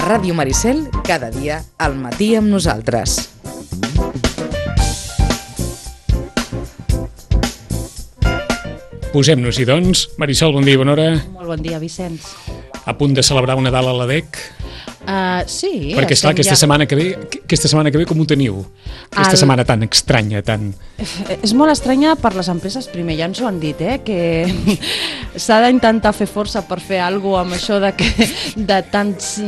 Ràdio Maricel, cada dia al matí amb nosaltres. Posem-nos-hi, doncs. Marisol, bon dia i bona hora. Molt bon dia, Vicenç. A punt de celebrar un Nadal a l'ADEC? Sí. Perquè, esclar, aquesta setmana que ve com ho teniu? Aquesta setmana tan estranya, tan... És molt estranya per les empreses. Primer, ja ens ho han dit, que s'ha d'intentar fer força per fer alguna cosa amb això de tants...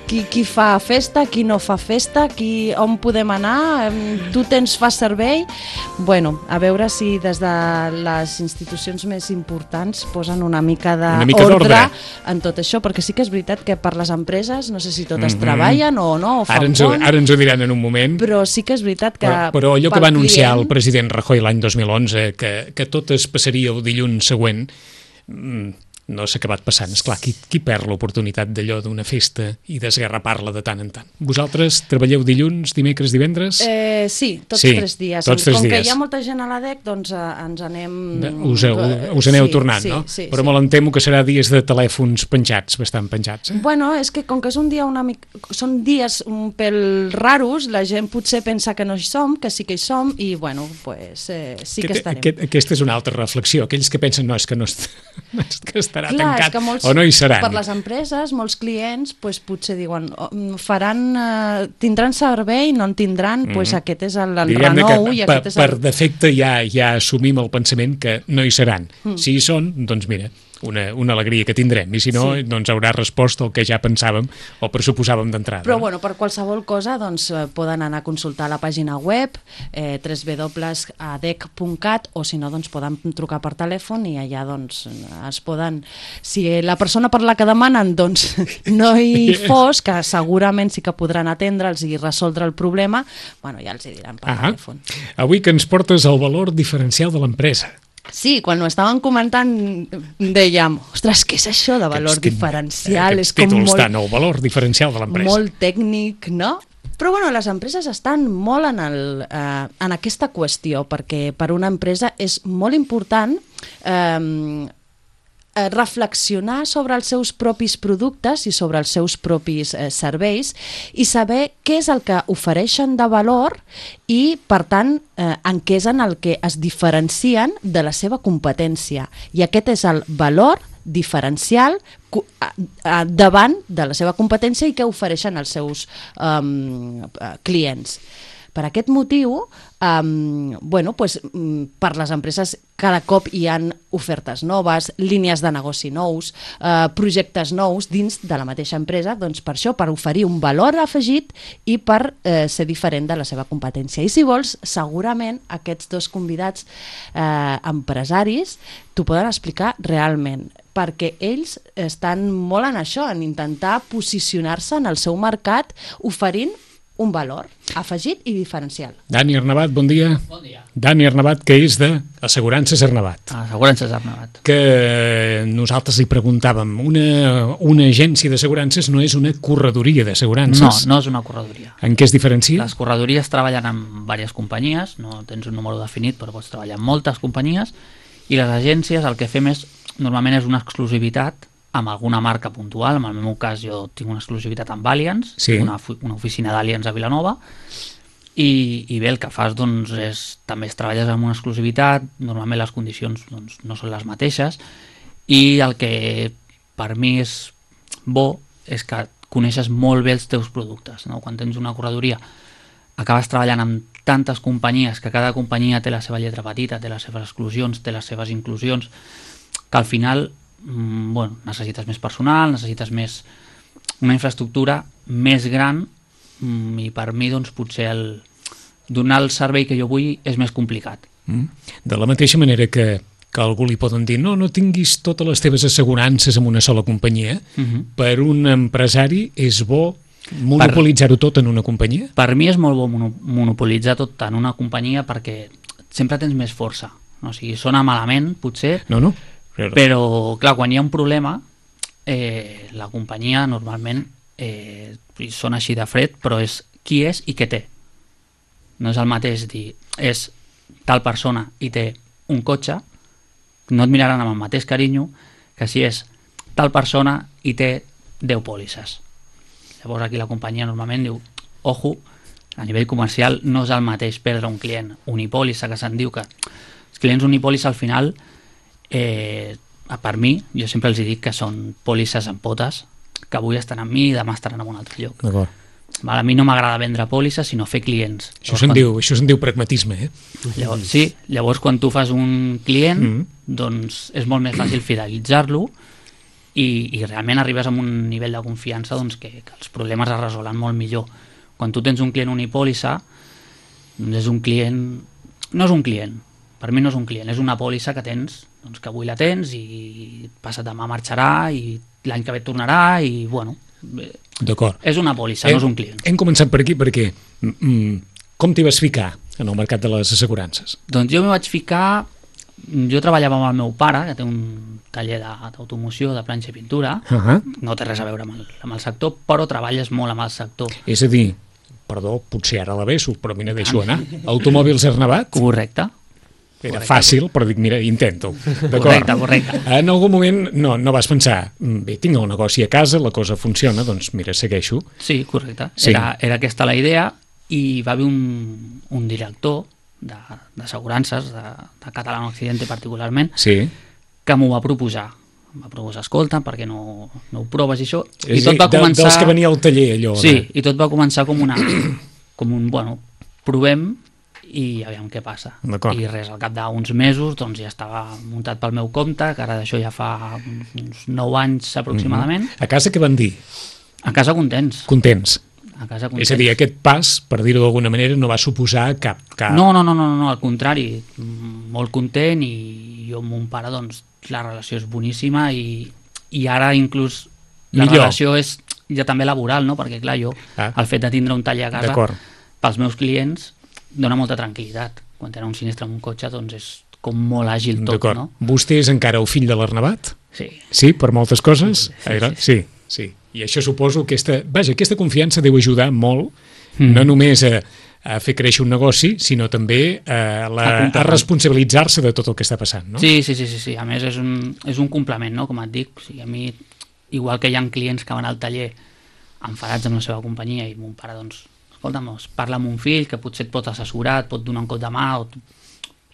Qui fa festa, qui no fa festa, on podem anar, tu fas servei... Bueno, a veure si des de les institucions més importants posen una mica d'ordre en tot això, perquè sí que és veritat que per les empreses, no sé si totes treballen o no, o fan ara ens ho diran en un moment. Però sí que és veritat que... Però allò que va anunciar el president Rajoy l'any 2011, que tot es passaria el dilluns següent, no s'ha acabat passant. Esclar, qui perd l'oportunitat d'allò d'una festa i d'esgarrapar-la de tant en tant? Vosaltres treballeu dilluns, dimecres, divendres? Sí, tots 3 dies. Com que hi ha molta gent a l'ADEC, doncs ens anem... Us aneu tornant, no? Però me l'entemo que serà dies de telèfons penjats, bastant penjats. Bueno, és que com que és un dia són dies un pèl raros, la gent potser pensa que no hi som, que sí que hi som, i bueno, pues sí que estarem. Aquesta és una altra reflexió. Aquells que pensen, no, és que no estarà tancat, molts, o no hi seran. Per les empreses, molts clients potser diuen, tindran servei, no en tindran, aquest és l'enrenou. Per defecte ja assumim el pensament que no hi seran. Si hi són, doncs mira, una alegria que tindrem, i si no, doncs haurà respost el que ja pensàvem o pressuposàvem d'entrada. Però bueno, per qualsevol cosa doncs poden anar a consultar la pàgina web www.adec.cat, o si no, doncs poden trucar per telèfon i allà doncs es poden... Si la persona per la que demanen doncs no hi fos, que segurament sí que podran atendre'ls i resoldre el problema, bueno, ja els hi diran per telèfon. Avui que ens portes el valor diferencial de l'empresa. Sí, quan ho estàvem comentant dèiem, ostres, què és això de valor diferencial? Aquests títols tant, el valor diferencial de l'empresa. Molt tècnic, no? Però bueno, les empreses estan molt en aquesta qüestió, perquè per una empresa és molt important reflexionar sobre els seus propis productes i sobre els seus propis serveis i saber què és el que ofereixen de valor i, per tant, en què és en el que es diferencien de la seva competència. I aquest és el valor diferencial davant de la seva competència i què ofereixen els seus clients. Per aquest motiu, per les empreses cada cop hi ha ofertes noves, línies de negoci nous, projectes nous dins de la mateixa empresa, doncs per això, per oferir un valor afegit i per ser diferent de la seva competència. I si vols, segurament aquests dos convidats empresaris t'ho poden explicar realment, perquè ells estan molt en això, en intentar posicionar-se en el seu mercat oferint un valor afegit i diferencial. Dani Arnabat, bon dia. Bon dia. Dani Arnabat, que és d'Assegurances Arnabat. Assegurances Arnabat. Que nosaltres li preguntàvem, una agència d'assegurances no és una corredoria d'assegurances? No és una corredoria. En què es diferencia? Les corredories treballen amb diverses companyies, no tens un número definit, però pots treballar amb moltes companyies, i les agències el que fem normalment és una exclusivitat amb alguna marca puntual. En el meu cas jo tinc una exclusivitat amb Allianz, una oficina d'Allianz a Vilanova, i bé, el que fas doncs també treballes amb una exclusivitat, normalment les condicions doncs, no són les mateixes, i el que per mi és bo és que coneixes molt bé els teus productes, no? Quan tens una corredoria acabes treballant amb tantes companyies, que cada companyia té la seva lletra petita, té les seves exclusions, té les seves inclusions, que al final necessites més personal, necessites una infraestructura més gran, i per mi doncs potser donar el servei que jo vull és més complicat. De la mateixa manera que algú li poden dir no tinguis totes les teves assegurances en una sola companyia, per un empresari és bo monopolitzar-ho tot en una companyia? Per mi és molt bo monopolitzar tot en una companyia perquè sempre tens més força. O sigui, sona malament, potser, però clar, quan hi ha un problema la companyia normalment sona així de fred, però és qui és i què té. No és el mateix dir és tal persona i té un cotxe, no et miraran amb el mateix carinyo que si és tal persona i té 10 pòlisses. Llavors aquí la companyia normalment diu, ojo, a nivell comercial no és el mateix perdre un client unipòlissa, que se'n diu que els clients unipòlissa al final, per mi, jo sempre els dic que són pòlisses amb potes, que avui estan amb mi i demà estaran en un altre lloc. D'acord. A mi no m'agrada vendre pòlisses, sinó fer clients. Això se'n diu pragmatisme, Llavors, sí, llavors quan tu fas un client, doncs és molt més fàcil fidelitzar-lo i realment arribes a un nivell de confiança doncs, que els problemes es resolen molt millor. Quan tu tens un client unipòlissa, doncs és un client... No és un client, per mi no és un client, és una pòlissa que tens, doncs que avui la tens i passa demà marxarà i l'any que ve tornarà i, bueno... D'acord. És una pòlissa, no és un client. Hem començat per aquí perquè com t'hi vas ficar en el mercat de les assegurances? Doncs jo m'hi vaig ficar... Jo treballava amb el meu pare, que té un taller d'automoció, de planxa i pintura. No té res a veure amb el sector, però treballes molt amb el sector. És a dir, perdó, potser ara la beso, però mira, deixo anar. Automòbils Arnabat? Correcte. Era fàcil, però dic, mira, intento. Correcte. En algun moment no vas pensar, bé, tinc el negoci a casa, la cosa funciona, doncs mira, segueixo. Sí, correcte. Sí. Era aquesta la idea i va haver un director d'assegurances, de Català Occidente particularment, sí, que m'ho va proposar. Em va proposar, escolta, perquè no ho proves i això. I tot va començar... Dels que venia al taller, allò. Sí, i tot va començar com un, bueno, provem i aviam què passa. I res, al cap d'uns mesos doncs ja estava muntat pel meu compte, que ara d'això ja fa uns 9 anys aproximadament. A casa què van dir? A casa contents. Contents. A casa contents. És a dir, aquest pas, per dir-ho d'alguna manera, no va suposar cap... No, al contrari, molt content i jo amb mon pare, doncs, la relació és boníssima i ara inclús la relació és ja també laboral, no? Perquè clar, jo, el fet de tindre un taller a casa, pels meus clients, dona molta tranquil·litat. Quan tenen un sinistre amb un cotxe, doncs és com molt àgil tot, no? Vostè és encara el fill de l'Arnabat? Sí. Sí, per moltes coses? Sí. Sí. I això suposo que aquesta confiança deu ajudar molt, no només a fer créixer un negoci, sinó també a responsabilitzar-se de tot el que està passant, no? Sí. A més, és un complement, no? Com et dic, o sigui, a mi, igual que hi ha clients que van al taller enfadats amb la seva companyia i mon pare, doncs, escolta'm, parla amb un fill que potser et pot assessorar, et pot donar un cop de mà o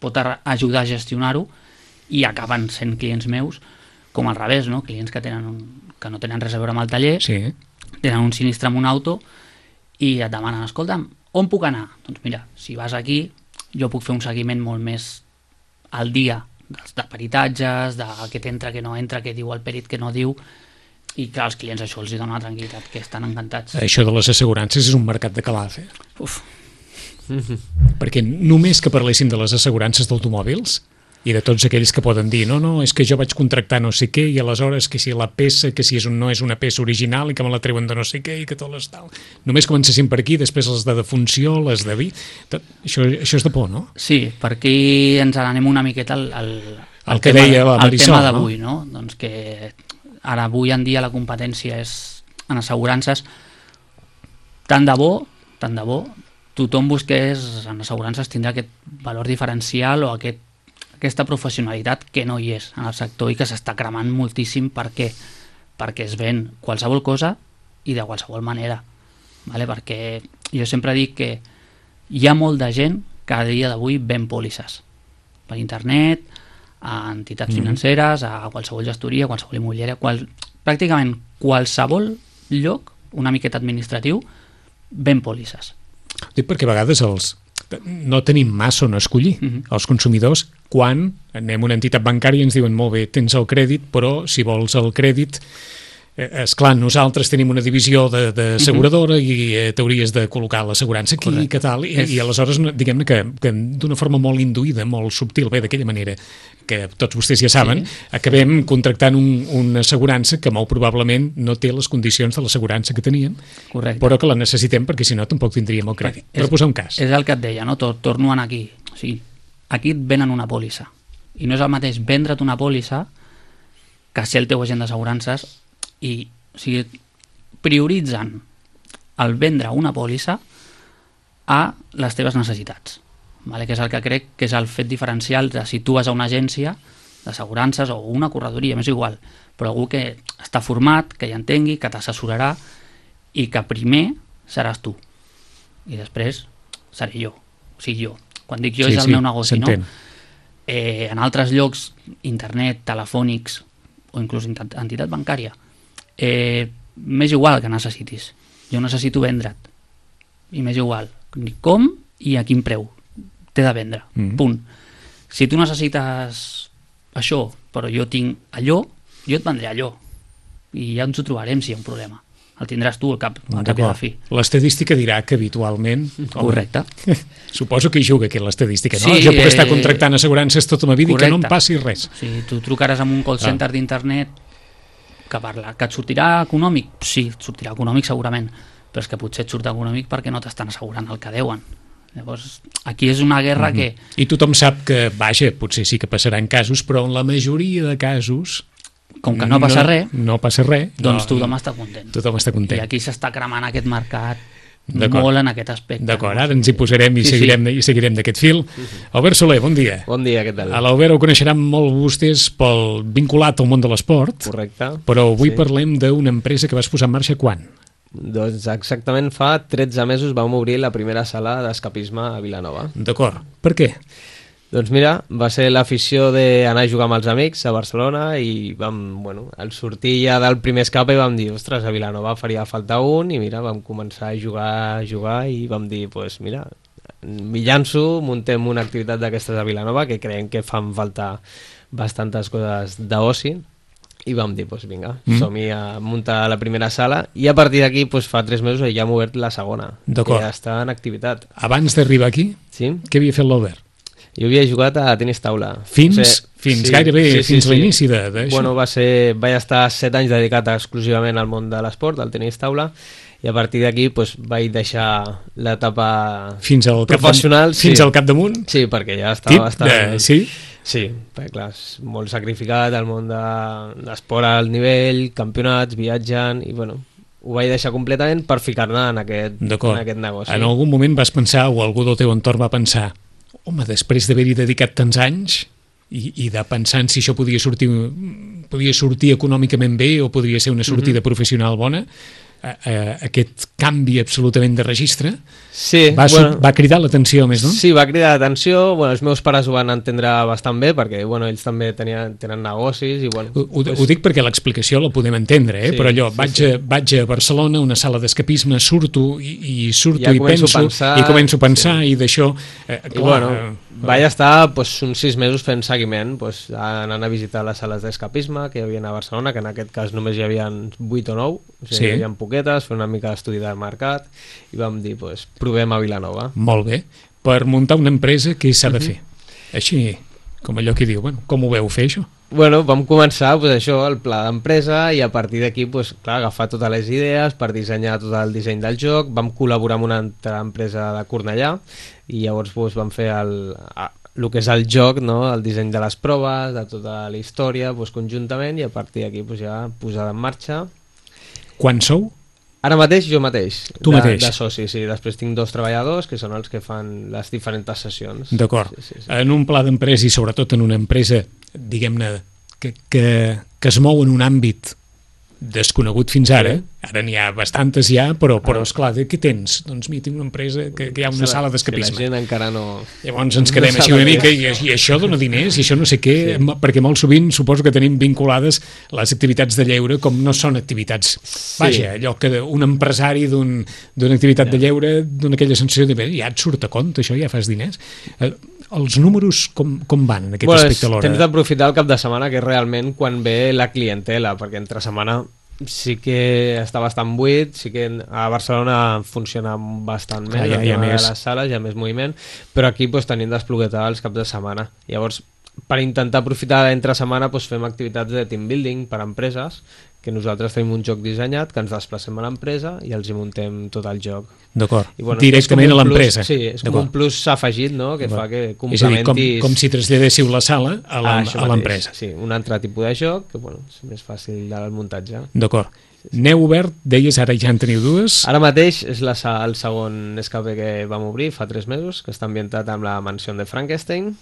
pot ajudar a gestionar-ho i acaben sent clients meus, com al revés, no? Clients que no tenen res a veure amb el taller, tenen un sinistre amb un auto i et demanen, escolta'm, on puc anar? Doncs mira, si vas aquí, jo puc fer un seguiment molt més al dia de peritatges, de què t'entra, què no entra, què diu el perit, què no diu, i que als clients això els dona una tranquil·litat, que estan encantats. Això de les assegurances és un mercat de calaf, Perquè només que parléssim de les assegurances d'automòbils i de tots aquells que poden dir no, és que jo vaig contractar no sé què i aleshores que si la peça, que si no és una peça original i que me la treuen de no sé què i que tot l'estal. Només comencéssim per aquí, després les de defunció, les de vi... Això és de por, no? Sí, per aquí ens n'anem una miqueta el que deia la Marisol, tema d'avui, no? Doncs que ara avui en dia la competència és en assegurances tant de bo, tothom busqués en assegurances tindrà aquest valor diferencial o aquesta professionalitat que no hi és en el sector i que s'està cremant moltíssim. Per què? Perquè es ven qualsevol cosa i de qualsevol manera, vale? Perquè jo sempre dic que hi ha molt de gent que a dia d'avui ven pòlisses per internet, a entitats financeres, a qualsevol gestoria, a qualsevol immobiliària, pràcticament qualsevol lloc, una miqueta administratiu, ven pòlisses. Dic perquè a vegades no tenim massa on escollir. Els consumidors, quan anem a una entitat bancària ens diuen molt bé, tens el crèdit, però si vols el crèdit, esclar, nosaltres tenim una divisió d'asseguradora i t'hauries de col·locar l'assegurança aquí i que tal, i aleshores diguem-ne que d'una forma molt induïda, molt subtil, bé, d'aquella manera que tots vostès ja saben, acabem contractant una assegurança que molt probablement no té les condicions de l'assegurança que teníem, però que la necessitem perquè si no tampoc tindríem el crèdit. Per posar un cas. És el que et deia, no? Torno a anar aquí. O sigui, aquí et venen una pòlissa. I no és el mateix vendre't una pòlissa que ser el teu agent d'assegurances i, o sigui, prioritzen el vendre una pòlissa a les teves necessitats, vale? Que és el que crec que és el fet diferencial de si tu vas a una agència d'assegurances o una corredoria, m'és igual, però algú que està format, que hi entengui, que t'assessorarà i que primer seràs tu i després seré jo, o sigui jo. Quan dic jo és el meu negoci, no? En altres llocs, internet, telefònics o inclús entitat bancària, m'és igual que necessitis. Jo necessito vendre't i m'és igual ni com i a quin preu t'he de vendre, punt. Si tu necessites això però jo tinc allò, jo et vendré allò i ja ens ho trobarem si hi ha un problema. El tindràs tu al cap i a la fi. L'estadística dirà que habitualment... Correcte. Suposo que hi juga aquí l'estadística, no? Jo puc estar contractant assegurances tota la vida i que no em passi res. Sí, tu trucaràs a un call center d'internet que et sortirà econòmic? Sí, et sortirà econòmic segurament, però és que potser et surt econòmic perquè no t'estan assegurant el que deuen. Llavors, aquí és una guerra que... I tothom sap que, vaja, potser sí que passaran casos, però en la majoria de casos... Com que no passa res, doncs tothom està content. Tothom està content. I aquí s'està cremant aquest mercat molt en aquest aspecte. D'acord, ara ens hi posarem i seguirem d'aquest fil. Albert Soler, bon dia. Bon dia, què tal? A l'Albert ho coneixeran molt vostès vinculat al món de l'esport. Correcte. Però avui parlem d'una empresa que vas posar en marxa quan? Doncs exactament fa 13 mesos vam obrir la primera sala d'escapisme a Vilanova. D'acord. Per què? Doncs mira, va ser l'afició d'anar a jugar amb els amics a Barcelona i al sortir ja del primer escape vam dir, ostres, a Vilanova faria falta un i mira, vam començar a jugar i vam dir, doncs mira, m'hi llanço, muntem una activitat d'aquestes a Vilanova que creiem que fan falta bastantes coses d'oci i vam dir, doncs vinga, som-hi a muntar la primera sala i a partir d'aquí fa 3 mesos ja hem obert la segona, que ja està en activitat. Abans d'arribar aquí, què havia fet l'Albert? Jo havia jugat a tenis taula. Fins l'inici d'això? Bueno, vaig estar 7 anys dedicat exclusivament al món de l'esport, al tenis taula, i a partir d'aquí vaig deixar l'etapa professional. Fins al capdamunt? Sí, perquè ja estava bastant... Sí? Sí, perquè clar, és molt sacrificat el món de l'esport al nivell, campionats, viatjant, i bueno... ho vaig deixar completament per ficar-ne en aquest negoci. En algun moment vas pensar, o algú del teu entorn va pensar, home, després d'haver-hi dedicat tants anys i de pensar en si això podia sortir econòmicament bé o podria ser una sortida professional bona, aquest canvi absolutament de registre va cridar l'atenció més, no? Sí, va cridar l'atenció. Els meus pares ho van entendre bastant bé perquè ells també tenen negocis i ho dic perquè l'explicació la podem entendre, però allò, vaig a Barcelona, una sala d'escapisme, surto i començo a pensar i d'això vaig estar uns 6 mesos fent seguiment, anant a visitar les sales d'escapisme que hi havia a Barcelona, que en aquest cas només hi havia 8 o 9, hi havia poquetes, fer una mica d'estudi del mercat i vam dir, provem a Vilanova. Molt bé. Per muntar una empresa, què s'ha de fer? Així, com allò que diu, com ho veu fer, això? Vam començar el pla d'empresa i a partir d'aquí agafar totes les idees per dissenyar tot el disseny del joc. Vam col·laborar amb una altra empresa de Cornellà i llavors vam fer el que és el joc, el disseny de les proves, de tota la història conjuntament, i a partir d'aquí ja posada en marxa. Quan sou? Ara mateix jo mateix. Tu mateix? De soci, sí. Després tinc 2 treballadors que són els que fan les diferents sessions. D'acord. Sí. En un pla d'empresa i sobretot en una empresa, diguem-ne, que es mou en un àmbit desconegut fins ara, ara n'hi ha bastantes ja, però esclar, què tens? Doncs mira, tinc una empresa que hi ha una sala d'escapisme. La gent encara no... Llavors ens quedem així una mica i això dona diners i això no sé què, perquè molt sovint suposo que tenim vinculades les activitats de lleure com no són activitats. Vaja, allò que un empresari d'una activitat de lleure dona aquella sensació de ja et surt a compte, això ja fas diners. Els números com van en aquest aspecte alhora? Tens d'aprofitar el cap de setmana, que és realment quan ve la clientela, perquè entre setmana sí que està bastant buit, sí que a Barcelona funciona bastant més, hi ha més. A les sales hi ha més moviment, però aquí tenim d'espluguetar els caps de setmana. Llavors, per intentar aprofitar entre setmana fem activitats de team building per a empreses, que nosaltres tenim un joc dissenyat, que ens desplacem a l'empresa i els hi muntem tot el joc. D'acord, directament a l'empresa. Sí, és com un plus afegit, no?, que fa que complementis... És a dir, com si traslladéssiu la sala a l'empresa. Sí, un altre tipus de joc, que és més fàcil del muntatge. D'acord. N'heu obert, deies, ara ja en teniu 2? Ara mateix és el segon escape que vam obrir fa 3 mesos, que està ambientat amb la mansió de Frankenstein.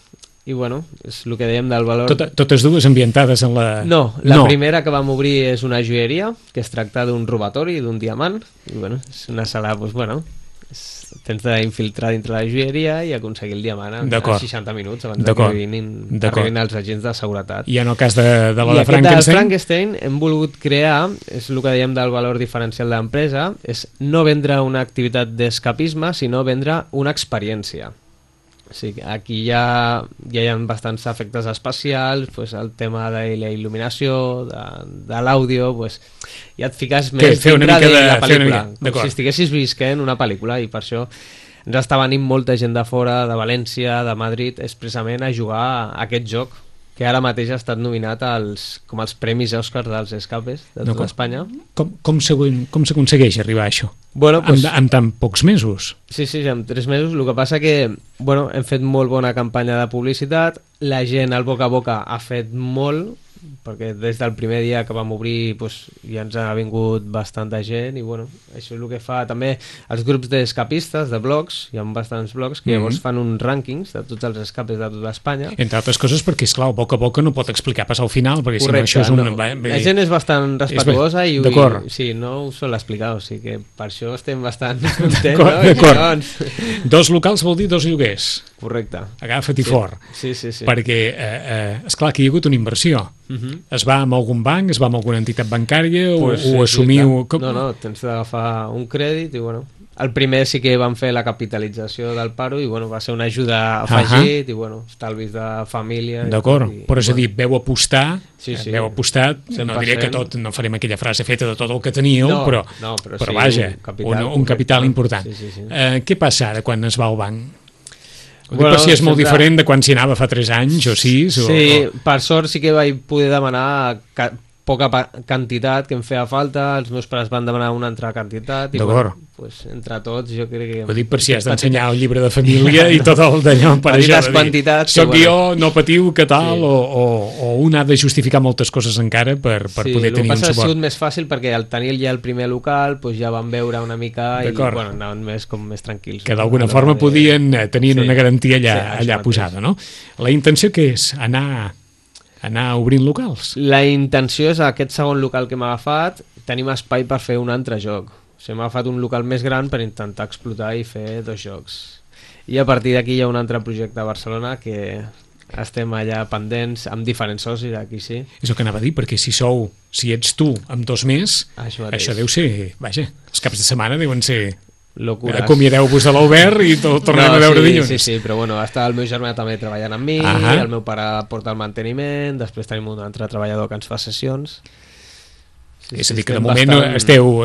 I bueno, és el que dèiem del valor... Totes dues ambientades en la... No, la primera que vam obrir és una joieria, que es tracta d'un robatori, d'un diamant, i bueno, és una sala, doncs bueno, tens d'infiltrar dintre la joieria i aconseguir el diamant en 60 minuts abans que arribin els agents de seguretat. I en el cas de la de Frankenstein? Frankenstein? De Frankenstein hem volgut crear, és el que dèiem del valor diferencial de l'empresa, és no vendre una activitat d'escapisme, sinó vendre una experiència. Sí, aquí ja hi ha bastants efectes especials, pues, el tema de la il·luminació, de l'àudio, pues, ja et fiques més dintre de la pel·lícula, com si estiguessis visquent una pel·lícula, i per això ens està venint molta gent de fora, de València, de Madrid, expressament a jugar a aquest joc, que ara mateix ha estat nominat com els premis Òscar dels escapes de tota Espanya. Com s'aconsegueix arribar a això? Bueno, pues, amb tan pocs mesos? Sí, amb 3 mesos. El que passa que bueno, hem fet molt bona campanya de publicitat, la gent al boca a boca ha fet molt, perquè des del primer dia que vam obrir pues, ja ens ha vingut bastanta gent, i bueno, això és el que fa també els grups d'escapistes, de blogs, hi ha bastants blogs que llavors fan uns rànquings de tots els escapes de tota Espanya. Entre altres coses perquè, esclar, boca a boca no pot explicar pas al final, perquè correcte, si no això és un... No. La gent és bastant respectuosa i sí, no ho sol explicar, o sigui que per això estem bastant contents, no? D'acord. 2 locals vol dir 2 lloguers. Correcte. Agafa't-hi fort. Sí. Perquè, esclar, que hi ha hagut una inversió. Es va amb algun banc, es va amb alguna entitat bancària, pues o assumiu... Sí, no, tens d'agafar un crèdit i bueno... El primer sí que vam fer la capitalització del paro i bueno, va ser una ajuda afegit i bueno, estalvis de família. D'acord, però és a dir, veu apostar, veu apostar, 100%. No diré que tot, no farem aquella frase feta de tot el que teníeu, però sí, vaja, un capital important. Sí. Què passa ara quan es va al banc? Per si és molt diferent de quan s'hi anava fa 3 anys o 6 Sí, per sort sí que vaig poder demanar poca quantitat que em feia falta, els meus pares van demanar una altra quantitat i bueno, pues, entre tots jo crec que... Ho dic per si has d'ensenyar el llibre de família i tot el d'allò per això de dir, soc jo, no patiu, que tal, o un ha de justificar moltes coses encara per poder tenir un suport. Sí, el que passa ha sigut més fàcil perquè al tenir ja el primer local pues ja van veure una mica i bueno, anaven més tranquils. Que d'alguna forma tenien una garantia allà posada, no? La intenció què és? Anar obrint locals? La intenció és aquest segon local que m'ha agafat, tenim espai per fer un altre joc. O sigui, m'ha agafat un local més gran per intentar explotar i fer 2 jocs. I a partir d'aquí hi ha un altre projecte a Barcelona que estem allà pendents amb diferents socis, aquí sí. És el que anava a dir, perquè si ets tu amb 2 més, això deu ser... Vaja, els caps de setmana deuen ser... Locures. Acomiadeu-vos de l'Albert i tornem a veure dilluns. Sí, però bueno, està el meu germà també treballant amb mi, el meu pare porta el manteniment, després tenim un altre treballador que ens fa sessions. És a dir, que de moment esteu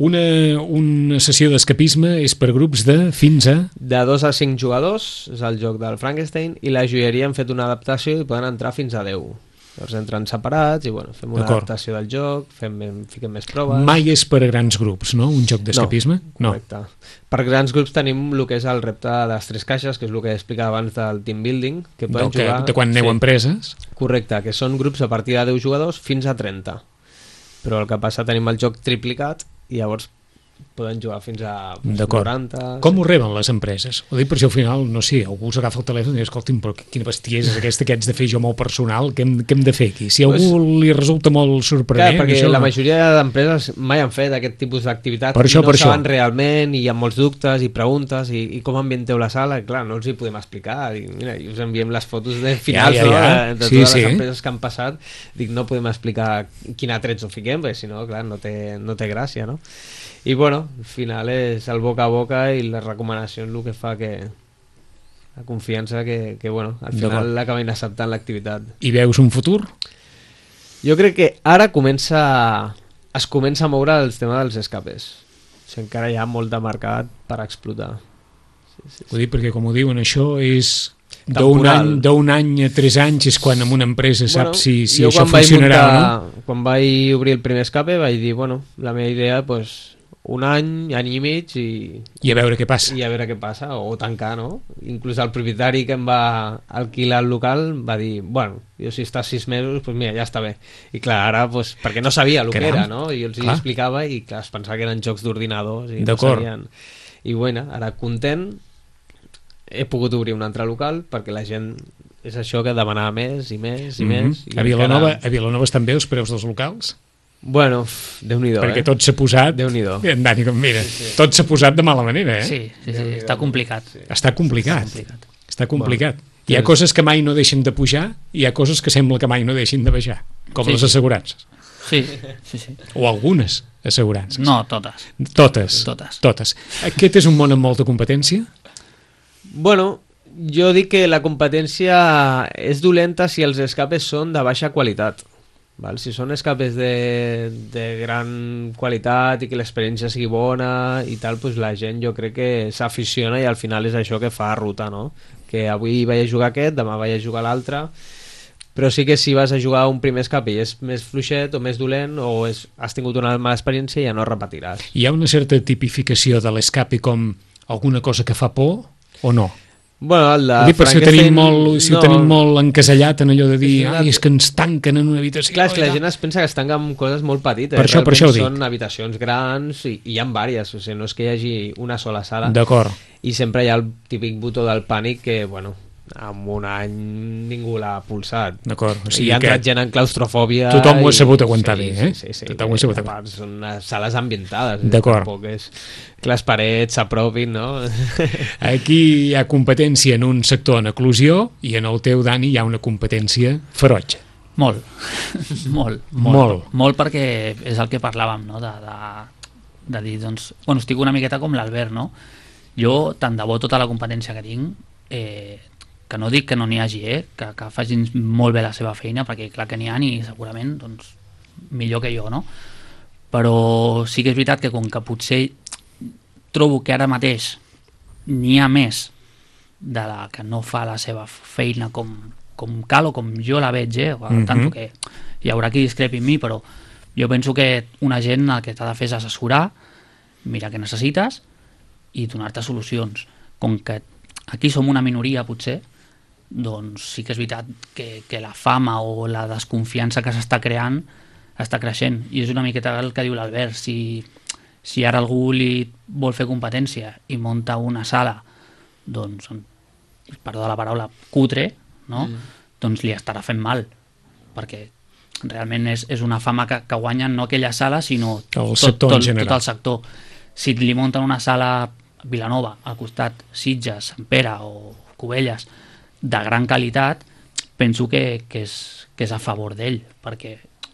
una sessió d'escapisme és per grups de fins a... De 2 a 5 jugadors, és el joc del Frankenstein, i la joieria hem fet una adaptació i poden entrar fins a 10. Llavors entren separats i bueno, fem una adaptació del joc, fiquem més proves. Mai és per a grans grups, no? Un joc d'escapisme? No, correcte. Per grans grups tenim el que és el repte de les 3 caixes, que és el que explicava abans del team building, que poden jugar... De quan aneu a empreses? Correcte, que són grups a partir de 10 jugadors fins a 30. Però el que passa, tenim el joc triplicat i llavors poden jugar fins a 90... Com ho reben les empreses? Ho dic per si al final, no sé, algú us agafa el telèfon i diu, escolti'm, però quina bestiesa és aquesta que haig de fer jo molt personal, què hem de fer aquí? Si a algú li resulta molt sorprenent... Clar, perquè la majoria d'empreses mai han fet aquest tipus d'activitat i no saben realment i hi ha molts dubtes i preguntes i com ambienteu la sala, i clar, no els hi podem explicar. Dic, mira, us enviem les fotos de finals de totes les empreses que han passat, dic, no podem explicar quin atrets ho fiquem, perquè si no, clar, no té gràcia, no? I bueno, al final és el boca a boca i les recomanacions el que fa que la confiança que bueno, al final l'acabin acceptant l'activitat. I veus un futur? Jo crec que ara es comença a moure el tema dels escapes. O sigui, encara hi ha molt de mercat per explotar. Sí. Ho dic perquè, com ho diuen, això és... D'un any a 3 anys és quan en una empresa saps si això funcionarà o no? Quan vaig obrir el primer escape vaig dir, bueno, la meva idea pues, un any i mig i a veure què passa. I a veure què passa, o tancar, no? Inclús el propietari que em va alquilar el local va dir, bueno, jo si estàs 6 mesos, pues mira, ja està bé. I clar, ara, pues, perquè no sabia el que era, no? I jo els hi explicava i clar, es pensava que eren jocs d'ordinadors i no sabien. I bueno, ara content, he pogut obrir un altre local perquè la gent és això que demanava més i més i més. I a Vilanova estan bé els preus dels locals? Bueno, Déu-n'hi-do, perquè tot s'ha posat... Déu-n'hi-do. Dani, mira, tot s'ha posat de mala manera, Sí, està complicat. Està complicat. Hi ha coses que mai no deixen de pujar i hi ha coses que sembla que mai no deixin de baixar, com les assegurances. Sí. O algunes assegurances. No, totes. Totes. Aquest és un món amb molta competència? Bueno, jo dic que la competència és dolenta si els escapes són de baixa qualitat. Val? Si són escapes de gran qualitat i que l'experiència sigui bona i tal, doncs la gent jo crec que s'aficiona i al final és això que fa ruta, no? Que avui vaig a jugar aquest, demà vaig a jugar l'altre, però sí que si vas a jugar un primer escape i és més fluixet o més dolent o has tingut una mala experiència ja no repetiràs. Hi ha una certa tipificació de l'escape com alguna cosa que fa por o no? Bueno, el de per si ho tenim molt encasellat en allò de dir és que ens tanquen en una habitació. Clar, és que la gent es pensa que es tanca amb coses molt petites. Per això ho dic. Són habitacions grans i hi ha diverses, o sigui, no és que hi hagi una sola sala. D'acord. I sempre hi ha el típic botó del pànic que, bueno, en un any ningú l'ha pulsat. D'acord. O sigui hi ha entrat gent en claustrofòbia. Tothom ho ha sabut aguantar bé, eh? Sí. Tothom ho ha sabut aguantar. Són sales ambientades. D'acord. Tampoc és que les parets s'apropin, no? Aquí hi ha competència en un sector en eclusió i en el teu, Dani, hi ha una competència ferotge. Molt perquè és el que parlàvem, no? De dir, doncs, bueno, estic una miqueta com l'Albert, no? Jo, tant de bo tota la competència que tinc, que no dic que no n'hi hagi, que facin molt bé la seva feina, perquè clar que n'hi ha i segurament doncs, millor que jo, no? Però sí que és veritat que com que potser trobo que ara mateix n'hi ha més de la que no fa la seva feina com cal o com jo la veig, tant que hi haurà qui discrepi en mi, però jo penso que un agent el que t'ha de fer és assessorar, mirar què necessites i donar-te solucions. Com que aquí som una minoria potser, doncs sí que és veritat que la fama o la desconfiança que s'està creant està creixent, i és una miqueta el que diu l'Albert. Si ara algú li vol fer competència i munta una sala, doncs, perdó la paraula, cutre, no? Doncs li estarà fent mal, perquè realment és una fama que guanyen no aquella sala, sinó tot el sector. Si li munten una sala a Vilanova, al costat Sitges, Sant Pere o Cubelles, de gran qualitat, penso que és a favor d'ell, perquè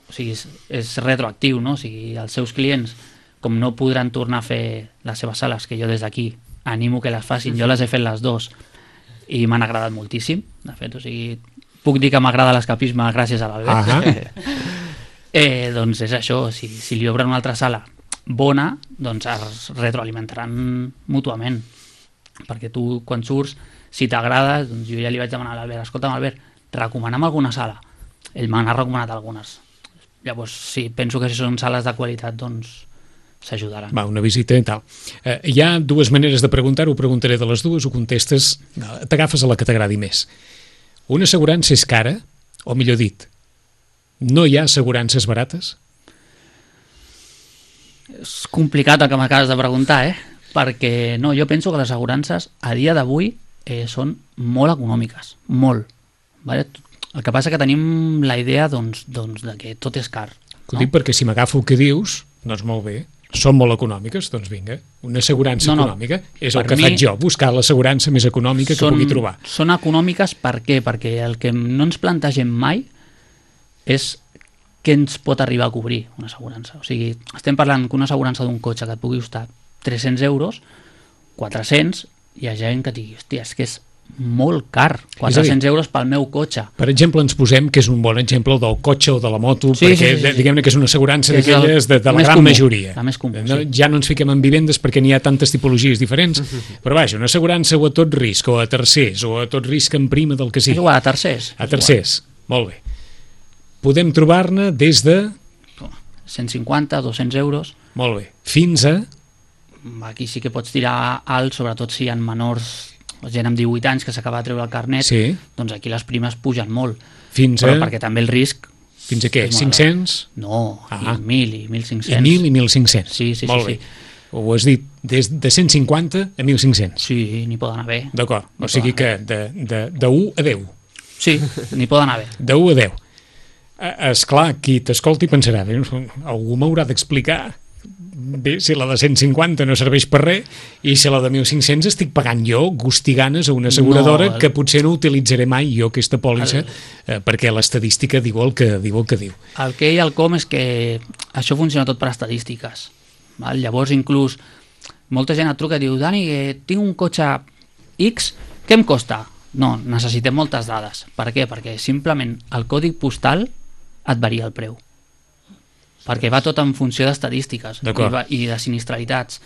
o sigui, és retroactiu, no? O sigui, els seus clients, com no podran tornar a fer les seves sales, que jo des d'aquí animo que les facin, jo les he fet les dues i m'han agradat moltíssim, de fet, o sigui, puc dir que m'agrada l'escapisme gràcies a l'Albert. Doncs és això, si li obren una altra sala bona, doncs es retroalimentaran mútuament, perquè tu quan surts, si t'agrada, doncs jo ja li vaig demanar a l'Albert, escolta'm Albert, recomana'm alguna sala. Ell me n'ha recomanat algunes. Llavors, sí, penso que si són sales de qualitat, doncs s'ajudaran. Va, una visita i tal. Hi ha dues maneres de preguntar-ho, preguntaré de les dues, ho contestes, t'agafes a la que t'agradi més. Una assegurança és cara, o millor dit, no hi ha assegurances barates? És complicat el que m'acabes de preguntar, perquè no, jo penso que les assegurances a dia d'avui són molt econòmiques, molt. Vale? El que passa que tenim la idea doncs, de que tot és car. Ho dic perquè si m'agafo el que dius, doncs molt bé, són molt econòmiques, doncs vinga, una assegurança econòmica és el que faig jo, buscar l'assegurança més econòmica que pugui trobar. Són econòmiques per què? Perquè el que no ens plantegem mai és què ens pot arribar a cobrir una assegurança. O sigui, estem parlant que una assegurança d'un cotxe que et pugui costar 300 euros, 400, hi ha gent que digui, hòstia, és que és molt car, 400 euros pel meu cotxe. Per exemple, ens posem que és un bon exemple del cotxe o de la moto, perquè diguem-ne que és una assegurança d'aquelles de la gran majoria. La més comú, ja no ens fiquem en vivendes perquè n'hi ha tantes tipologies diferents, però vaja, una assegurança o a tot risc, o a tercers, o a tot risc en prima del que sigui. És igual, a tercers. A tercers, molt bé. Podem trobar-ne des de 150, 200 euros. Molt bé. Fins a? Aquí sí que pots tirar alt, sobretot si hi ha menors, gent amb 18 anys que s'acaba de treure el carnet, doncs aquí les primes pugen molt. Fins a? Però perquè també el risc... Fins a què? 500? No, i 1.000 i 1.500. I 1.000 i 1.500. Sí. Molt bé. Ho has dit des de 150 a 1.500. Sí, n'hi poden haver. D'acord, N'hi o sigui poden que de 1 a 10. Sí, n'hi poden haver. De 1 a 10. Esclar, qui t'escolti pensarà, algú m'haurà d'explicar bé, si la de 150 no serveix per res i si la de 1.500 estic pagant jo gustiganes a una asseguradora que potser no utilitzaré mai jo aquesta pòlissa perquè l'estadística diu el que diu. El que i el com és que això funciona tot per estadístiques. Val? Llavors, inclús, molta gent et truca i diu Dani, tinc un cotxe X, què em costa? No, necessitem moltes dades. Per què? Perquè simplement el codi postal et varia el preu. Perquè va tot en funció d'estadístiques i de sinistralitats.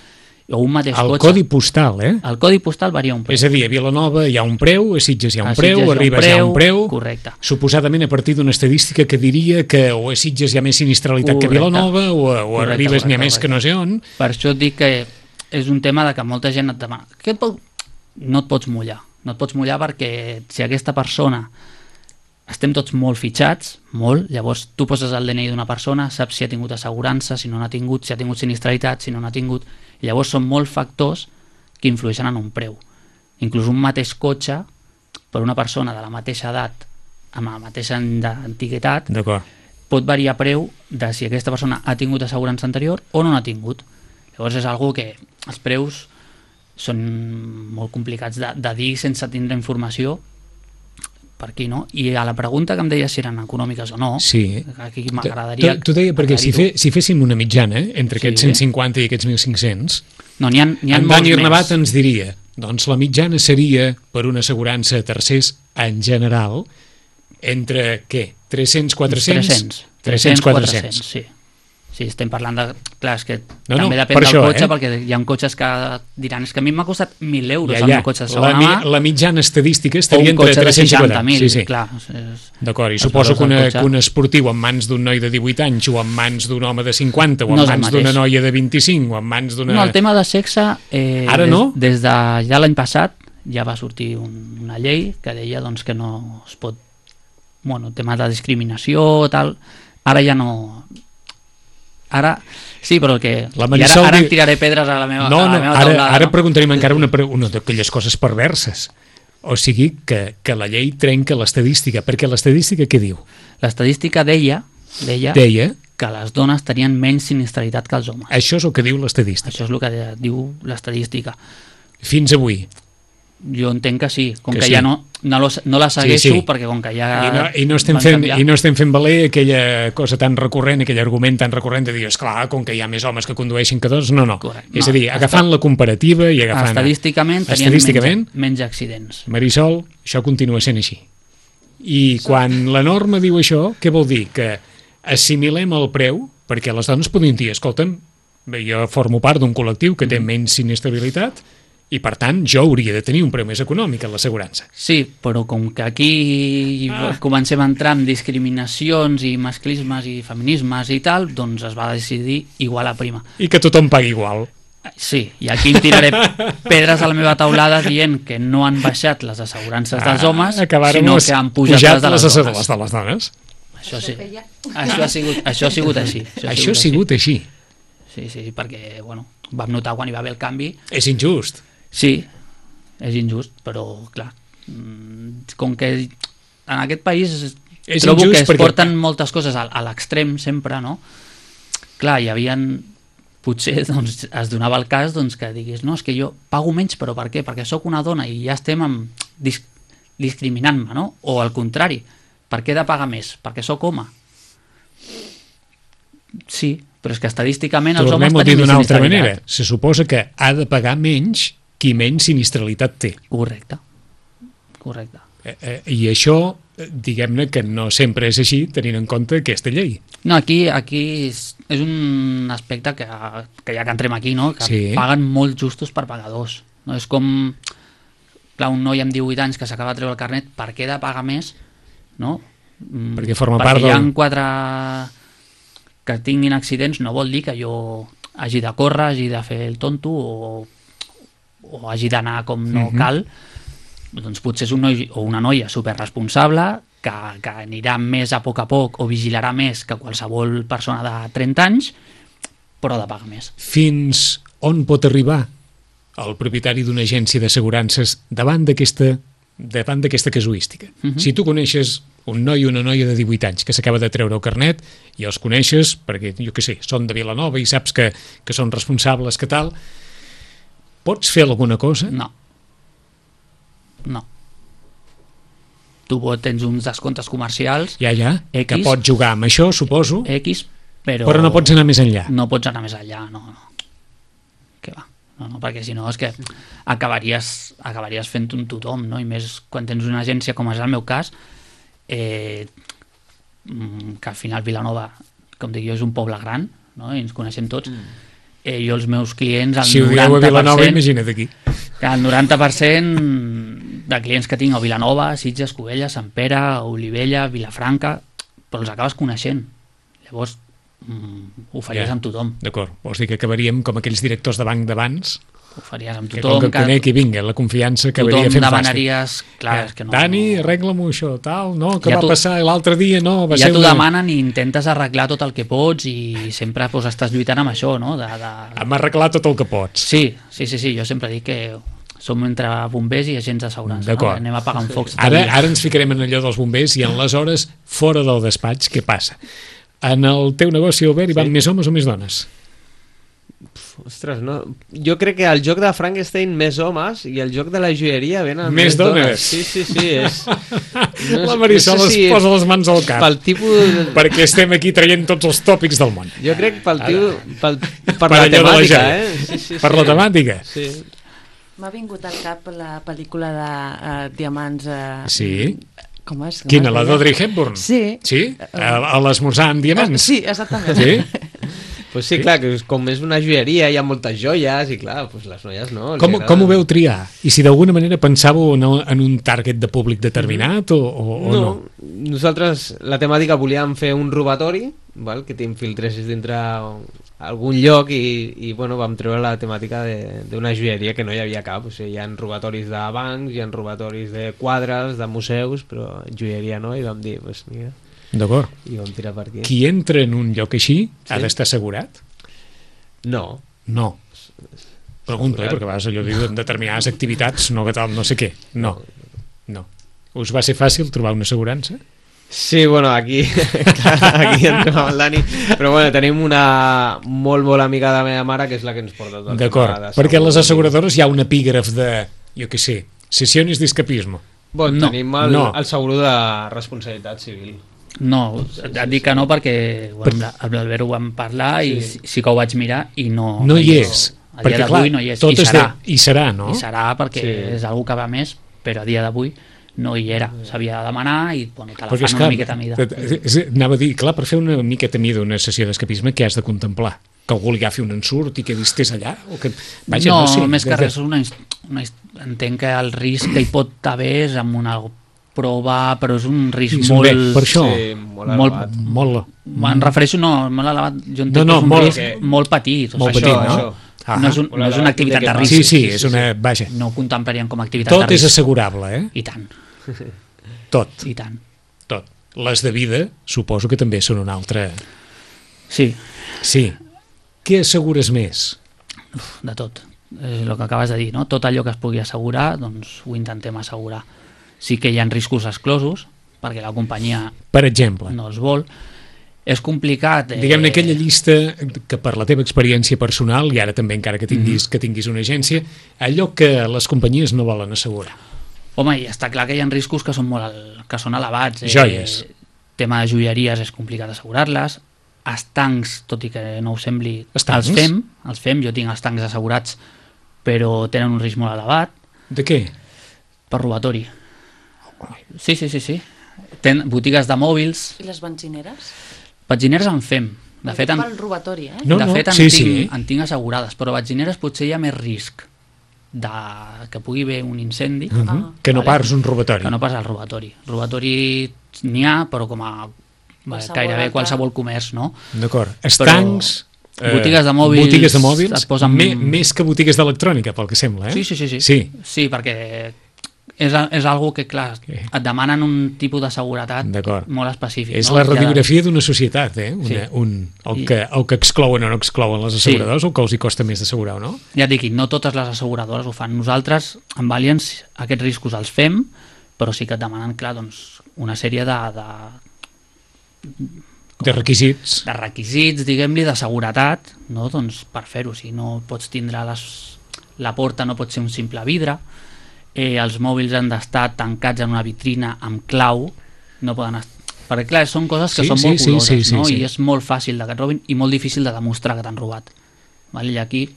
O un mateix el cotxe. Codi postal, El codi postal varia un preu. És a dir, a Vilanova hi ha un preu, a Sitges hi ha un preu, a Ribes hi ha un preu. Correcte. Suposadament a partir d'una estadística que diria que o a Sitges hi ha més sinistralitat que a Vilanova o a Ribes n'hi ha més que no sé on. Per això et dic que és un tema de que molta gent et demana no et pots mullar. No et pots mullar perquè si aquesta persona estem tots molt fitxats, molt, llavors tu poses el DNI d'una persona, saps si ha tingut assegurança, si no n'ha tingut, si ha tingut sinistralitat, si no n'ha tingut, i llavors són molts factors que influeixen en un preu. Inclús un mateix cotxe, per una persona de la mateixa edat, amb la mateixa antiguitat, pot variar preu de si aquesta persona ha tingut assegurança anterior o no n'ha tingut. Llavors és algo que els preus són molt complicats de dir sense tindre informació per aquí, no? I a la pregunta que em deies si eren econòmiques o no, sí. Aquí m'agradaria... T'ho deia perquè si féssim una mitjana entre aquests 150 i aquests 1.500, no, n'hi ha en Dani Arnabat ens diria, doncs la mitjana seria per una assegurança a tercers en general entre, què? 300, 400? 300, 400. Sí. Sí, estem parlant de... Clar, és que també depèn del cotxe, perquè hi ha cotxes que diran és que a mi m'ha costat 1.000 euros el meu cotxe de segona mà. La mitjana estadística estaria entre 300 i 400. Sí. Clar. D'acord, i suposo que un esportiu en mans d'un noi de 18 anys o en mans d'un home de 50 o en mans d'una noia de 25 o en mans d'una... No, el tema de sexe... Ara no? Des de ja l'any passat ja va sortir una llei que deia doncs, que no es pot... Bueno, tema de discriminació, tal... Ara ja no... Ara, sí, però que... Ara em tiraré pedres a la meva taulada. Ara preguntarem encara una d'aquelles coses perverses. O sigui que la llei trenca l'estadística, perquè l'estadística què diu? L'estadística deia que les dones tenien menys sinistralitat que els homes. Això és el que diu l'estadística. Això és el que diu l'estadística. Fins avui? Jo entenc que sí, com que ja no la segueixo, perquè com que ja I no estem fent valer aquella cosa tan recurrent, aquell argument tan recurrent de dir, esclar, com que hi ha més homes que condueixin que dones, no. És a dir, agafant la comparativa i agafant... Estadísticament tenien menys accidents. Marisol, això continua sent així. I quan la norma diu això, què vol dir? Que assimilem el preu, perquè les dones podien dir, escolta'm, jo formo part d'un col·lectiu que té menys sinistralitat, i per tant jo hauria de tenir un preu més econòmic en l'assegurança. Sí, però com que aquí comencem a entrar en discriminacions i masclismes i feminismes i tal, doncs es va decidir igual a prima. I que tothom pagui igual. Sí, i aquí em tiraré pedres a la meva taulada dient que no han baixat les assegurances dels homes, sinó que han pujat les de les dones. Això sí, això ha sigut així. Això ha sigut així. Sí, perquè, bueno, vam notar quan hi va haver el canvi... És injust. Sí, és injust, però clar, com que en aquest país trobo que es porten moltes coses a l'extrem sempre, no? Clar, hi havia... Potser doncs, es donava el cas doncs, que diguis, no, és que jo pago menys, però per què? Perquè sóc una dona i ja estem discriminant-me, no? O al contrari, per què he de pagar més? Perquè sóc home. Sí, però és que estadísticament els homes tenim més sinistralitat. Se suposa que ha de pagar menys qui menys sinistralitat té. Correcte. I això, diguem-ne que no sempre és així, tenint en compte aquesta llei. No, aquí és un aspecte que ja que entrem aquí, no? Que paguen molt justos per pagadors. No? És com, clar, un noi amb 18 anys que s'acaba de treure el carnet, per què he de pagar més? No? Perquè forma part del... Perquè hi ha 4... que tinguin accidents no vol dir que jo hagi de córrer, hagi de fer el tonto o hagi d'anar com no cal. Doncs potser és un noi o una noia superresponsable que anirà més a poc o vigilarà més que qualsevol persona de 30 anys, però ha de pagar més. Fins on pot arribar el propietari d'una agència d'assegurances davant d'aquesta casuística. Si tu coneixes un noi o una noia de 18 anys que s'acaba de treure el carnet i els coneixes perquè, jo què sé, són de Vilanova i saps que són responsables, que tal, pots fer alguna cosa? No. Tu tens uns descomptes comercials Ja, X, que pots jugar amb això, suposo, X, però no pots anar més enllà. no pots anar més enllà, no. Què va? No, perquè si no és que acabaries fent un tothom, no? I més quan tens una agència com és el meu cas, que al final Vilanova, com dic jo, és un poble gran, no? I ens coneixem tots. Jo els meus clients, el 90%... Si ho dieu a Vilanova, imagina't aquí. Que el 90% de clients que tinc a Vilanova, Sitges, Cubelles, Sant Pere, Olivella, Vilafranca, però els acabes coneixent. Llavors, ho faries amb tothom. D'acord, vols dir que acabaríem com aquells directors de banc d'abans? Ho faries amb Que tothom. com que conec i vinga, la confiança acabaria fent fàcil. Tothom demanaries... Clar, és que no... Dani, arregla-m'ho això, tal, no? Que Ja va passar l'altre dia, no? Va Ja ser t'ho una... demanen i intentes arreglar tot el que pots i sempre pues, estàs lluitant amb això, no? Hem arreglat tot el que pots. Sí, jo sempre dic que som entre bombers i agents d'assegurança, no? D'acord. Anem apagant focs. Ara ens ficarem en allò dels bombers i en les hores fora del despatx, què passa? En el teu negoci, Albert, hi van més homes o més dones? Ostres, no. Jo crec que al joc de Frankenstein més homes i el joc de la joieria venen Més dones. Sí, és... La Marisol es posa les mans al cap. Pel tipus... Perquè estem aquí traient tots els tòpics del món. Jo crec per Per la allò de la temàtica, gent. Sí. Per la temàtica. Sí. M'ha vingut al cap la pel·lícula de Diamants... Sí. Com és? Quina, la d'Audrey Hepburn? Sí. Sí? A l'esmorzar amb diamants? Sí, exactament. Sí? Pues sí, clar, que com és una joieria hi ha moltes joies i clar, pues les noies no. Com ho veu triar? I si d'alguna manera pensàveu en un target de públic determinat o no? Nosaltres la temàtica volíem fer un robatori, val? Que t'infiltressis dintre algun lloc i bueno, vam treure la temàtica d'una joieria que no hi havia cap. O sigui, hi ha robatoris de bancs, hi ha robatoris de quadres, de museus, però joieria no, i vam dir, pues mira... D'acord. I vam tirar per aquí. Qui entra en un lloc així ha d'estar assegurat? No. No. Pregunto, perquè a vegades allò diu en determinades activitats, no que tal, no sé què. No. Us va ser fàcil trobar una assegurança? Sí, bueno, aquí entrem amb el Dani, però bueno, tenim una molt amiga de la meva mare que és la que ens porta tot. D'acord, perquè a les asseguradores hi ha un epígraf de, jo què sé, sesiones d'escapisme. Bueno, tenim el seguro de responsabilitat civil. No, et dic que no perquè amb l'Albert ho vam parlar i sí que ho vaig mirar i no hi és. A dia d'avui no hi és. I serà, no? I serà perquè és algú que va més, però a dia d'avui no hi era. S'havia de demanar i bueno, te la fan una miqueta mida. Anava a dir, clar, per fer una miqueta mida una sessió d'escapisme, què has de contemplar? Que algú li agafi un ensurt i que estés allà? O que... Vaja, no, no sé, més que res, entenc que el risc que hi pot haver és amb una prova, però és un risc molt... Per això, molt Em refereixo, molt elevat, jo entenc que és un risc molt petit. Molt petit, no? No és una activitat de risc. Sí, és una... Vaja. No ho contemplaríem com a activitat de risc. Tot és assegurable, eh? I tant. Tot. I tant. Tot. Les de vida, suposo que també són una altra... Sí. Sí. Què assegures més? De tot. És el que acabes de dir, no? Tot allò que es pugui assegurar, doncs ho intentem assegurar. Sí que hi ha riscos exclosos, perquè la companyia per exemple no els vol. És complicat. Diguem-ne aquella llista que per la teva experiència personal, i ara també encara que tinguis una agència, allò que les companyies no volen assegurar. Home, i està clar que hi ha riscos que són elevats. Joies. Tema de joieries és complicat assegurar-les. Estancs, tot i que no ho sembli, els fem. Jo tinc estancs assegurats, però tenen un risc molt elevat. De què? Per robatori. Sí. Botigues de mòbils. I les benzineres? Benzineres en fem. De fet, pel robatori, eh? En tinc assegurades, però benzineres potser hi ha més risc que pugui haver un incendi. Que no pas un robatori. Que no pas el robatori. Robatori n'hi ha, però com a gairebé qualsevol comerç, no? D'acord. Estancs... Botigues de mòbils et posen... més que botigues d'electrònica, pel que sembla, eh? Sí, perquè és algo que, clar, et demanen un tipus de seguretat molt específic. És la radiografia d'una societat, el que exclouen o no exclouen les asseguradores, o que els hi costa més d'assegurar o no? Ja et dic, no totes les asseguradores ho fan. Nosaltres, amb Allianz, aquests riscos els fem, però sí que et demanen, clar, doncs, una sèrie de requisits. De requisits, diguem-li, de seguretat, no? Doncs per fer-ho. Si no pots tindre la porta, no pot ser un simple vidre, els mòbils han d'estar tancats en una vitrina amb clau, no poden estar... Perquè, clar, són coses que són molt coloses, no? I és molt fàcil que et robin i molt difícil de demostrar que t'han robat. I aquí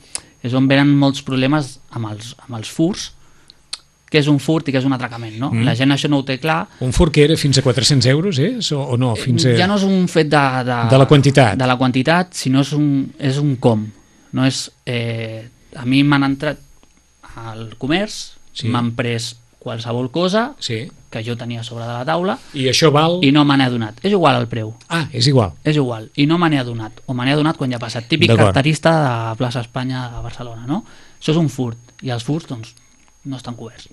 és on venen molts problemes amb els furts, què és un furt i què és un atracament, no? La gent això no ho té clar. Un furt que era fins a 400 euros, o no? Ja no és un fet de la quantitat. De la quantitat, sinó és un com. No és, a mi m'han entrat al comerç, m'han pres qualsevol cosa que jo tenia sobre de la taula i això val... i no me n'he adonat. És igual el preu. Ah, és igual. És igual. I no me n'he adonat. O me n'he adonat quan ja ha passat. Típic carterista de plaça Espanya de Barcelona, no? Això és un furt. I els furts, doncs, no estan coberts.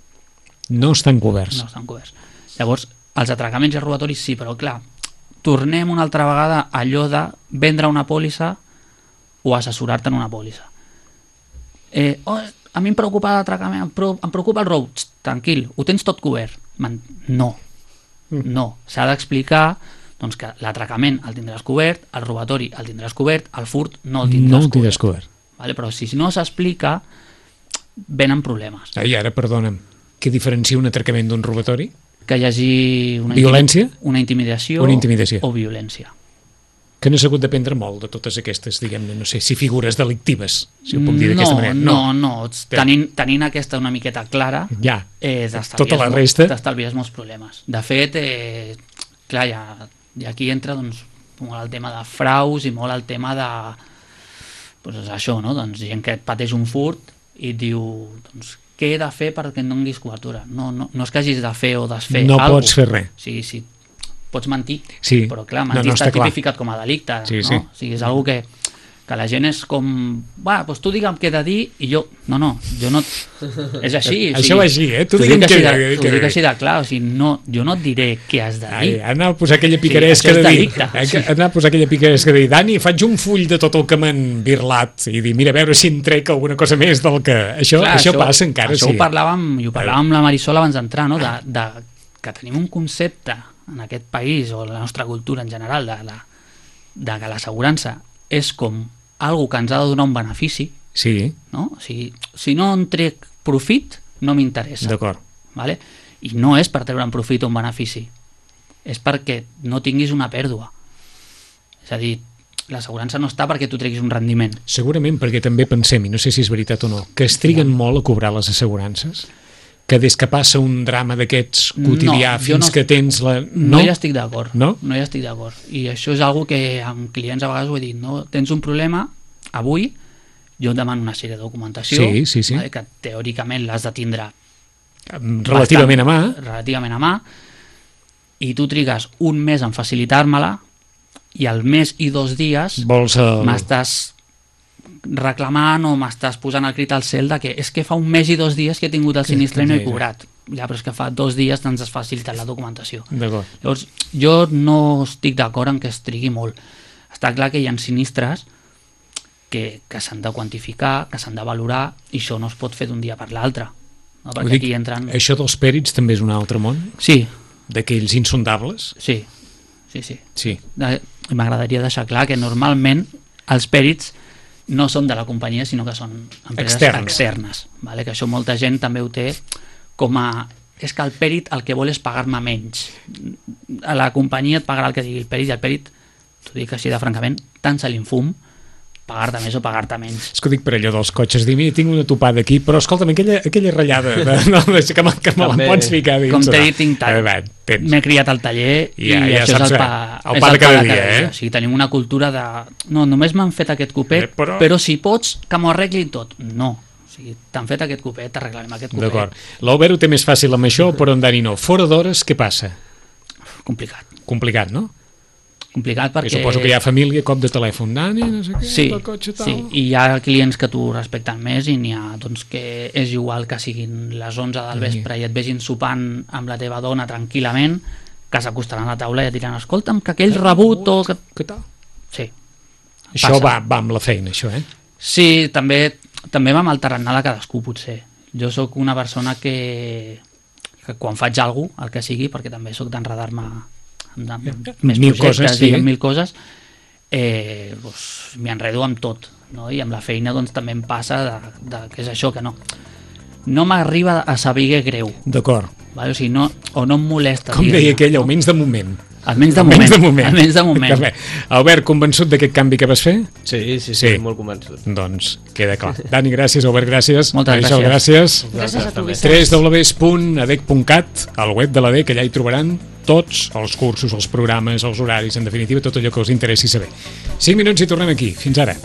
No estan coberts. No estan coberts. Llavors, els atracaments i els robatoris sí, però clar, tornem una altra vegada a allò de vendre una pòlissa o assessorar-te en una pòlissa. A mi em preocupa l'atracament, em preocupa el rob. Tranquil, ho tens tot cobert. No. No. S'ha d'explicar doncs, que l'atracament el tindràs cobert, el robatori el tindràs cobert, el furt no el tindràs cobert. Vale? Però si no s'explica, venen problemes. I ara, perdona'm, què diferencia un atracament d'un robatori? Que hi hagi violència? Una intimidació o violència. Que no s'ha hagut d'aprendre molt de totes aquestes, diguem-ne, no sé, si figures delictives, si ho puc dir d'aquesta manera. No. Tenint aquesta una miqueta clara, tota la resta t'estalvies molts problemes. De fet, clar, i aquí entra doncs, molt el tema de fraus i molt el tema de doncs, això, no? Doncs, gent que et pateix un furt i et diu, doncs, què he de fer perquè em donis cobertura? No és que hagis de fer o desfer alguna cosa. No pots fer res. Sí, pots mentir, però clar, mentir està tipificat com a delicte, no? O sigui, és una cosa que la gent és com, doncs tu digue'm què he de dir i jo no, és així. Això va així, tu digue'm què he de dir. T'ho dic així de clar, o sigui, jo no et diré què has de dir. Anar a posar aquella picaresca de dir, anar a posar aquella picaresca de dir, Dani, faig un full de tot el que m'han birlat i dir, mira, a veure si em trec alguna cosa més del que... Això passa encara, Això ho parlàvem amb la Marisol abans d'entrar, no? Que tenim un concepte en aquest país o la nostra cultura en general de que l'assegurança és com algo que ens ha de donar un benefici, no? O sigui, si no en trec profit, no m'interessa. D'acord. Vale? I no és per treure un profit o un benefici, és perquè no tinguis una pèrdua. És a dir, l'assegurança no està perquè tu treguis un rendiment. Segurament perquè també pensem, i no sé si és veritat o no, que es triguen molt a cobrar les assegurances, que des que passa un drama d'aquests quotidià fins que tens la... No hi estic d'acord. No? No hi estic d'acord. I això és algo que amb clients a vegades ho he dit, no? Tens un problema, avui jo et demano una sèrie de documentació que teòricament l'has de tindre relativament a mà, i tu trigues un mes en facilitar-me-la i al mes i 2 dies m'estàs reclamant o m'estàs posant el crit al cel de que és que fa un mes i 2 dies que he tingut el sinistre i no he cobrat. Ja, però és que fa 2 dies t'ens has facilitat la documentació. Llavors, jo no estic d'acord en que es trigui molt. Està clar que hi ha sinistres que s'han de quantificar, que s'han de valorar, i això no es pot fer d'un dia per l'altre. No? Perquè aquí entren... Això dels pèrits també és un altre món? Sí. D'aquells insondables? Sí. M'agradaria deixar clar que normalment els pèrits no són de la companyia, sinó que són empreses externes. Vale? Que això molta gent també ho té com a... És que el pèrit el que vol és pagar-me menys. A la companyia et pagarà el que digui el pèrit, i el pèrit, t'ho dic així de francament, tant se l'infum, pagar-te més o pagar-te menys. És que ho dic per allò dels cotxes, dir, mira, tinc una topada aquí, però escolta'm, aquella ratllada que me la pots ficar dins. Com t'he dit, m'he criat al taller i això és el pa de cada dia. O sigui, tenim una cultura de... No, només m'han fet aquest copet, però si pots, que m'ho arreglin tot. No. O sigui, t'han fet aquest copet, t'arreglarem aquest copet. D'acord. L'Albert ho té més fàcil amb això, però en Dani no. Fora d'hores, què passa? Complicat. Complicat, no? complicat perquè... I suposo que hi ha família, cop de telèfon, Dani, no sé què, Sí, del cotxe, tal... sí, i hi ha clients que t'ho respecten més i n'hi ha doncs, que és igual que siguin les 11 del vespre i et vegin sopant amb la teva dona tranquil·lament, que s'acostaran a la taula i et diran, escolta'm, que aquell rebut o... Què tal? Sí. Això Passa. va amb la feina, això, eh? Sí, també va amb el tarannà de cadascú, potser. Jo sóc una persona que quan faig alguna cosa, el que sigui, perquè també sóc d'enredar-me amb més Mil projectes coses, sí. i amb mil coses, doncs, m'hi enredo amb tot, no? I amb la feina doncs, també em passa que és això, que no m'arriba a saber greu, D'acord. vale? O sigui, no em molesta. Com deia aquell, almenys de moment. Almenys de moment. Almenys de moment. Que bé. Albert, convençut d'aquest canvi que vas fer? Sí, molt convençut. Doncs queda clar. Dani, gràcies. Albert, gràcies. Moltes Marisol, gràcies. Gràcies a tu, Vicenç. www.adec.cat, al web de l'ADEC, allà hi trobaran tots els cursos, els programes, els horaris, en definitiva, tot allò que us interessi saber. 5 minuts i tornem aquí. Fins ara.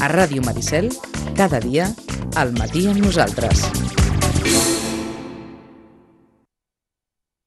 A Ràdio Maricel, cada dia, al matí amb nosaltres.